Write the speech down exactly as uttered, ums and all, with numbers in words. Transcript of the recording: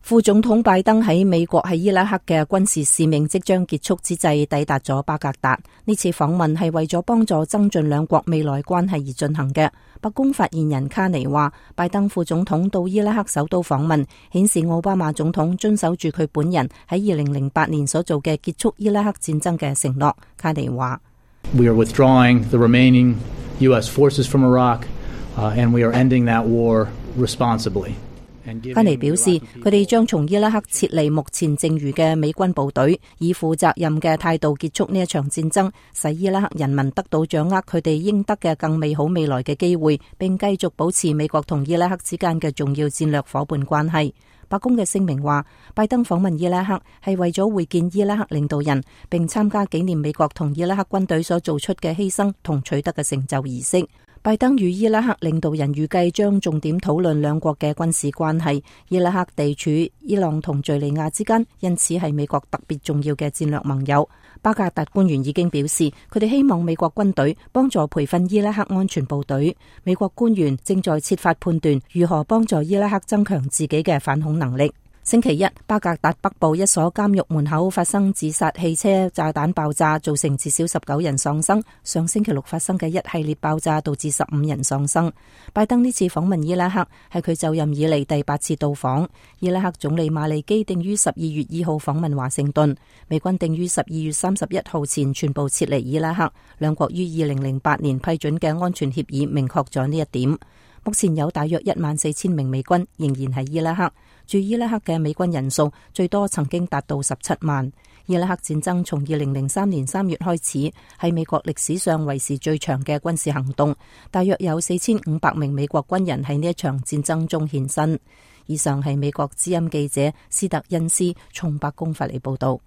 副總統拜登喺美國喺伊拉克嘅軍事使命即將結束之際抵達咗巴格達。呢次訪問係為咗幫助增進兩國未來關係而進行嘅。白宮發言人卡尼話，拜登副總統到伊拉克首都訪問，顯示奧巴馬總統遵守住佢本人喺二零零八年所做嘅結束伊拉克戰爭嘅承諾。卡尼話 We are withdrawing the remaining U S forces from Iraq, uh, and we are ending that war responsibly. 卡尼表示，佢哋將從伊拉克撤離目前剩餘嘅美軍部隊，以負責任嘅態度結束呢一場戰爭，使伊拉克人民得到掌握佢哋應得嘅更美好未來嘅機會，並繼續保持美國同伊拉克之間嘅重要戰略夥伴關係。白宮嘅聲明話，拜登訪問伊拉克係為咗會見伊拉克領導人，並參加紀念美國同伊拉克軍隊所做出嘅犧牲同取得嘅成就儀式。拜登與伊拉克領導人預計將重點討論兩國嘅軍事關係。伊拉克地處伊朗同敘利亞之間，因此係美國特別重要嘅戰略盟友。巴格達官員已經表示，佢哋希望美國軍隊幫助培訓伊拉克安全部隊。美國官員正在設法判斷如何幫助伊拉克增強自己嘅反恐能力。星期一，巴格達北部一所監獄門口發生自殺汽車炸彈爆炸，造成至少十九人喪生。上星期六發生嘅一系列爆炸導致十五人喪生。拜登呢次訪問伊拉克係佢就任以嚟第八次到訪。伊拉克總理馬利基定於十二月二號訪問華盛頓，美軍定於十二月三十一號前全部撤離伊拉克。兩國於二零零八年批准嘅安全協議明確咗呢一點。目前有大約一萬四千名美軍仍然喺伊拉克，駐伊拉克嘅美軍人數最多曾經達到十七萬。伊拉克戰爭從二零零三年三月開始，係美國歷史上為時最長嘅軍事行動，大約有四千五百名美國軍人喺呢一場戰爭中獻身。以上係美國之音記者斯特恩斯從白宮發嚟報道。